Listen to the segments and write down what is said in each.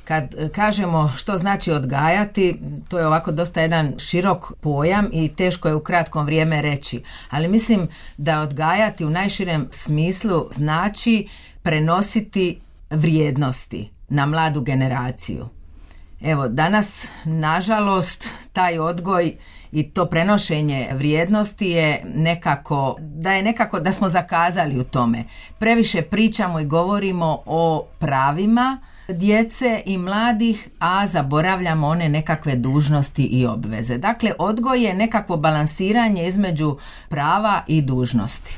Kad kažemo što znači odgajati, to je ovako dosta jedan širok pojam i teško je u kratkom vrijeme reći. Ali mislim da odgajati u najširem smislu znači prenositi vrijednosti na mladu generaciju. Evo, danas, nažalost, taj odgoj i to prenošenje vrijednosti je nekako da smo zakazali u tome. Previše pričamo i govorimo o pravima djece i mladih, a zaboravljamo one nekakve dužnosti i obveze. Dakle, odgoj je nekakvo balansiranje između prava i dužnosti.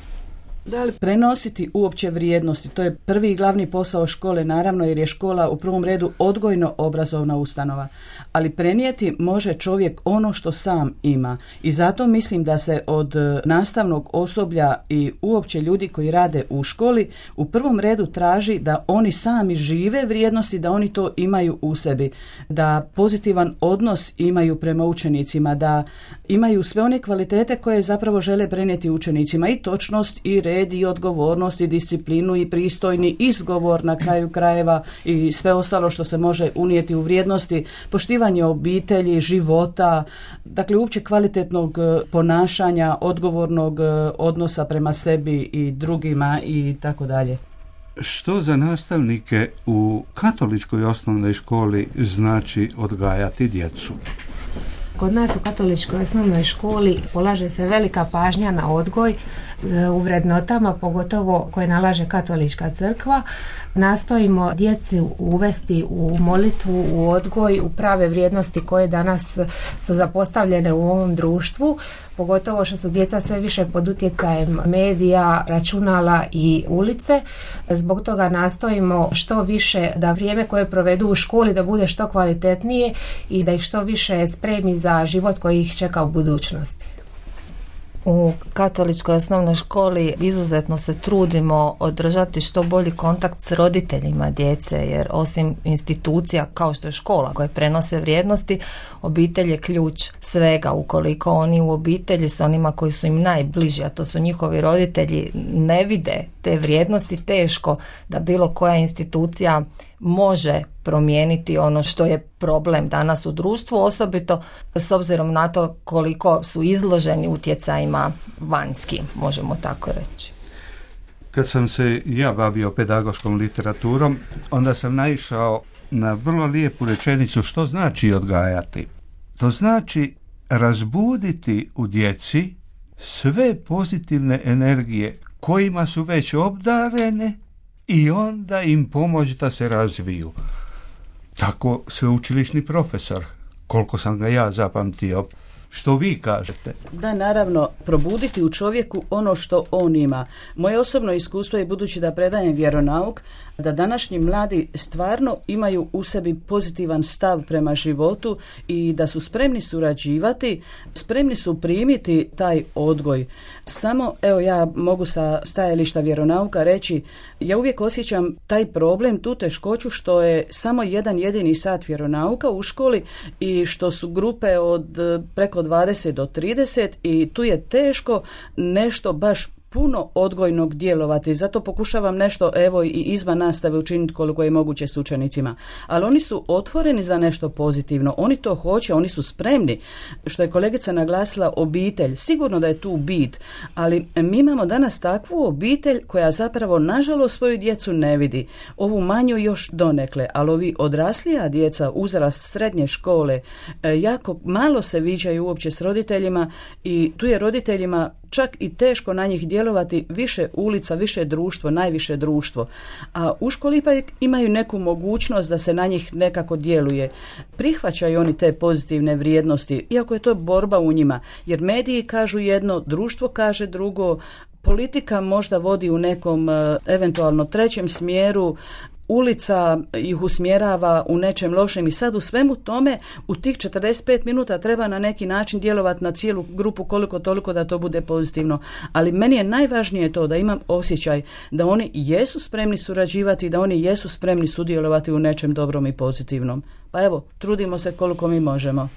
Da li prenositi uopće vrijednosti? To je prvi i glavni posao škole, naravno, jer je škola u prvom redu odgojno-obrazovna ustanova. Ali prenijeti može čovjek ono što sam ima. I zato mislim da se od nastavnog osoblja i uopće ljudi koji rade u školi u prvom redu traži da oni sami žive vrijednosti, da oni to imaju u sebi. Da pozitivan odnos imaju prema učenicima, da imaju sve one kvalitete koje zapravo žele prenijeti učenicima, i točnost, i red, i odgovornost, i disciplinu, i pristojni izgovor na kraju krajeva i sve ostalo što se može unijeti u vrijednosti, poštivanje obitelji, života, dakle uopće kvalitetnog ponašanja, odgovornog odnosa prema sebi i drugima i tako dalje. Što za nastavnike u katoličkoj osnovnoj školi znači odgajati djecu? Kod nas u katoličkoj osnovnoj školi polaže se velika pažnja na odgoj u vrednotama, pogotovo koje nalaže katolička crkva. Nastojimo djeci uvesti u molitvu, u odgoj, u prave vrijednosti koje danas su zapostavljene u ovom društvu, pogotovo što su djeca sve više pod utjecajem medija, računala i ulice. Zbog toga nastojimo što više da vrijeme koje provedu u školi da bude što kvalitetnije i da ih što više spremi za život koji ih čeka u budućnosti. U katoličkoj osnovnoj školi izuzetno se trudimo održati što bolji kontakt s roditeljima djece, jer osim institucija kao što je škola koje prenose vrijednosti, obitelj je ključ svega. Ukoliko oni u obitelji s onima koji su im najbliži, a to su njihovi roditelji, ne vide te vrijednosti, teško da bilo koja institucija može promijeniti ono što je problem danas u društvu, osobito s obzirom na to koliko su izloženi utjecajima vanjskim, možemo tako reći. Kad sam se ja bavio pedagoškom literaturom, onda sam naišao na vrlo lijepu rečenicu što znači odgajati. To znači razbuditi u djeci sve pozitivne energije kojima su već obdarene i onda im pomoći da se razviju. Tako sveučilišni profesor, koliko sam ga ja zapamtio. Što vi kažete? Da, naravno, probuditi u čovjeku ono što on ima. Moje osobno iskustvo je, budući da predajem vjeronauk, da današnji mladi stvarno imaju u sebi pozitivan stav prema životu i da su spremni surađivati, spremni su primiti taj odgoj. Samo, evo, ja mogu sa stajališta vjeronauka reći, ja uvijek osjećam taj problem, tu teškoću što je samo jedan jedini sat vjeronauka u školi i što su grupe od preko 20 do 30 i tu je teško nešto baš puno odgojnog djelovati. Zato pokušavam nešto, evo, i izvan nastave učiniti koliko je moguće s učenicima. Ali oni su otvoreni za nešto pozitivno. Oni to hoće, oni su spremni. Što je kolegica naglasila, obitelj. Sigurno da je tu bit. Ali mi imamo danas takvu obitelj koja zapravo, nažalost, svoju djecu ne vidi. Ovu manju još donekle. Ali ovi odraslija djeca, uzrast srednje škole, jako malo se viđaju uopće s roditeljima i tu je roditeljima čak i teško na njih djelovati, više ulica, više društvo, najviše društvo. A u školi ipak imaju neku mogućnost da se na njih nekako djeluje. Prihvaćaju oni te pozitivne vrijednosti, iako je to borba u njima. Jer mediji kažu jedno, društvo kaže drugo, politika možda vodi u nekom eventualno trećem smjeru, ulica ih usmjerava u nečem lošem i sad u svemu tome u tih 45 minuta treba na neki način djelovati na cijelu grupu koliko toliko da to bude pozitivno. Ali meni je najvažnije to da imam osjećaj da oni jesu spremni surađivati, da oni jesu spremni sudjelovati u nečem dobrom i pozitivnom. Pa evo, trudimo se koliko mi možemo.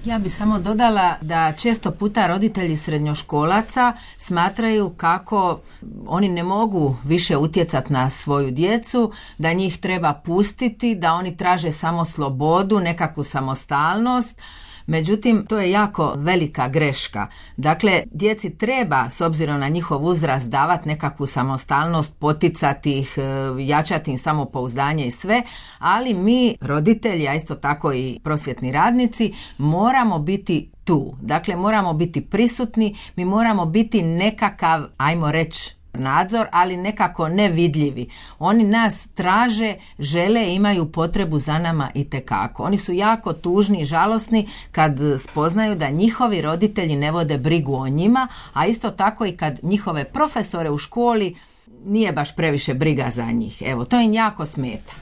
Ja bi samo dodala da često puta roditelji srednjoškolaca smatraju kako oni ne mogu više utjecati na svoju djecu, da njih treba pustiti, da oni traže samo slobodu, nekakvu samostalnost. Međutim, to je jako velika greška. Dakle, djeci treba, s obzirom na njihov uzrast, davati nekakvu samostalnost, poticati ih, jačati im samopouzdanje i sve, ali mi, roditelji, a isto tako i prosvjetni radnici, moramo biti tu. Dakle, moramo biti prisutni, mi moramo biti nekakav, ajmo reći, nadzor, ali nekako nevidljivi. Oni nas traže, žele, imaju potrebu za nama itekako. Oni su jako tužni i žalosni kad spoznaju da njihovi roditelji ne vode brigu o njima, a isto tako i kad njihove profesore u školi nije baš previše briga za njih. Evo, to im jako smeta.